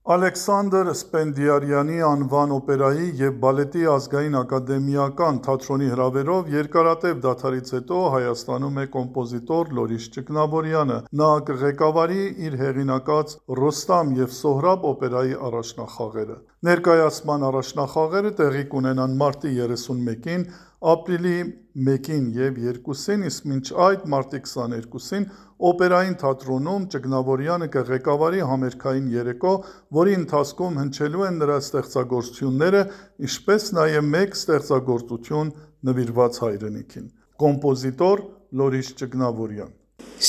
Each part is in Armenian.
Ալեքսանդր Սպենդիարյանի անվան օպերայի և բալետի ազգային ակադեմիական թատրոնի հրավերով երկարատև դադարից հետո Հայաստանում է կոմպոզիտոր Լորիս Ճգնավորյանը: Նա կղեկավարի իր հեղինակած «Ռոստամ և Սոհրաբ» օպերայի առաջնախաղերը: Ներկայացման առաջնախաղերը տեղի կունենան մարտի 31-ին, ապրիլի 1-ին և 2-ին, իսկ մինչ այդ մարտի 22-ին Օպերային թատրոնում Ճգնավորյանը կղեկավարի համերգային երեկո, որի ընթացքում հնչելու են նրա ստեղծագործությունները, ինչպես նաև մեկ ստեղծագործություն նվիրված հայրենիքին: Կոմպոզիտոր Լորիս Ճգնավորյան: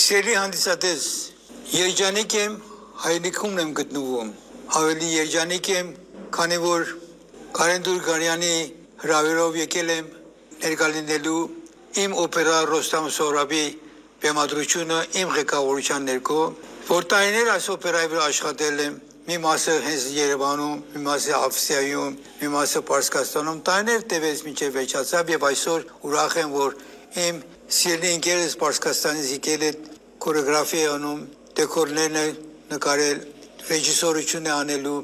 Սիրելի հանդիսատես, երջանիկ եմ հայրենիքումն եմ գտնվում: Ավելի երջանիկ եմ, քանի որ Կարեն Դուրգարյանի հրավերով եկել եմ ներկա լինելու իմ օպերա «Ռոստամ ու Սոհրաբի» բեմադրությունը իմ ղեկավարության ներքո, որ տարիներ այս օպերայի վրա աշխատել եմ, մի մասը հենց Երևանում, մի մասը Ավստրիայում, մի մասը Պարսկաստանում, տարիներ տևեց մինչև վերջացավ և այսօր ուրախ եմ, որ իմ սիրելի ընկերս Պարսկաստանից եկել է, կորեոգրաֆիա է անում, դեկորներն է նկարել, ռեժիսորություն է անելու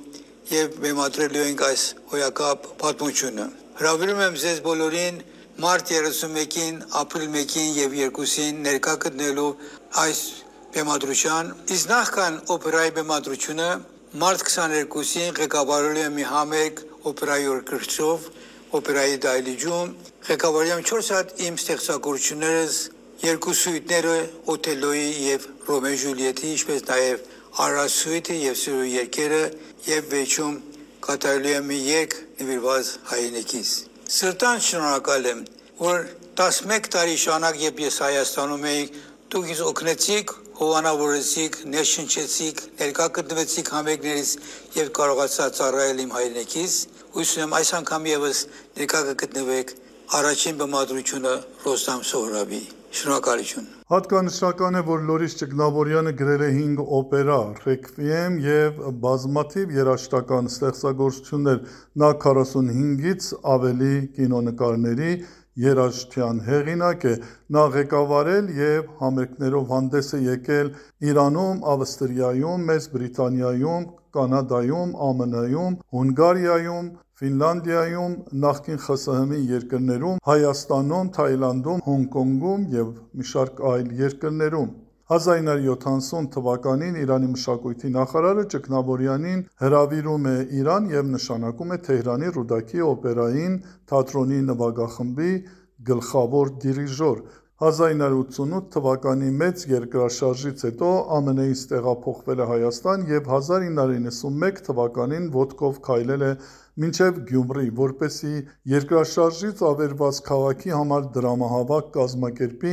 և բեմադրելու ենք այս հոյակապ պատմությունը: Հրավիրում եմ ձեզ բոլորին մարտ 31-ին, ապրիլ 1-ին և 2-ին ներկա գտնելու այս բեմադրության, իսկ նախքան օպերայի բեմադրությունը մարտ 22-ին ղեկավարելու եմ մի համերգ օպերայի օրկեստրով օպերայի դահլիճում, ղեկավարելու եմ 4 հատ իմ ստեղծագործություններս, 2 սյուիտները Օթելլոյի և Ռոմեո Ժուլիետի, ինչպես նաև Արարա սյուիտը և Սիրո երգերը և վերջում կատարելու եմ մի երգ նվիրված հայրենիքիս: Սրտանց շնորհակալ եմ, որ 11 տարի շարունակ երբ ես Հայաստանում էի, դուք ինձ օգնեցիք, հովանավորեցիք, ներշնչեցիք, ներկա գտնվեցիք համերգներից և կարողացա ծառայել իմ հայրենիքիս: Հույս ունեմ այս անգամ ևս ներկա կգտնվեք առաջին բեմադրությունը Ռոստամ Սոհրաբի: Շնորհակալություն: Հատկանշական է, որ Լորիս Ճգնավորյանը գրել է 5 օպերա, ռեքվիեմ և բազմաթիվ երաժշտական ստեղծագործություններ: Նա 45-ից ավելի կինոնկարների երաժշտության հեղինակ է: Նա ղեկավարել և համերգներով հանդես է եկել Իրանում, Ավստրիայում, Մեծ Բրիտանիայում, Կանադայում, ԱՄՆ-ում, Հունգարիայում, Ֆինլանդիայում, նախկին ԽՍՀՄ երկրներում, Հայաստանում, Թայլանդում, Հոնկոնգում և մի շարք այլ երկրներում: 1970 թվականին Իրանի մշակույթի նախարարը Ճգնավորյանին հրավիրում է Իրան և նշանակում է Թեհրանի Ռուդաքի օպերային թատրոնի նվագախմբի գլխավոր դիրիժոր: 1988 թվականի մեծ երկրաշարժից հետո ԱՄՆ-ից տեղափոխվել է Հայաստան և 1991 թվականին ոտքով քայլել է մինչև Գյումրի, որպեսզի երկրաշարժից ավերված քաղաքի համար դրամահավաք կազմակերպի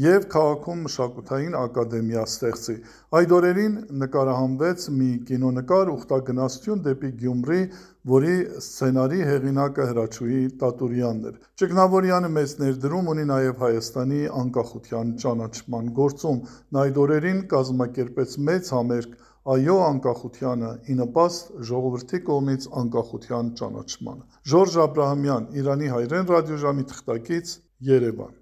և քաղաքում մշակութային ակադեմիա ստեղծի: Այդ օրերին նկարահանվեց մի կինոնկար «Ուխտագնացություն դեպի Գյումրի», որի սցենարի հեղինակը Հրաչուհի Տատուրյանն էր: Ճգնավորյանը մեծ ներդրում ունի նաև Հայաստանի անկախության ճանաչման գործում: Նա այդ օրերին կազմակերպեց մեծ համերգ «Այո անկախությանը» ի նպաստ ժողովրդի կողմից անկախության ճանաչմանը: Ժորժ Աբրահամյան, Իրանի հայրեն ռադիոժամի թղթակից, Երևան: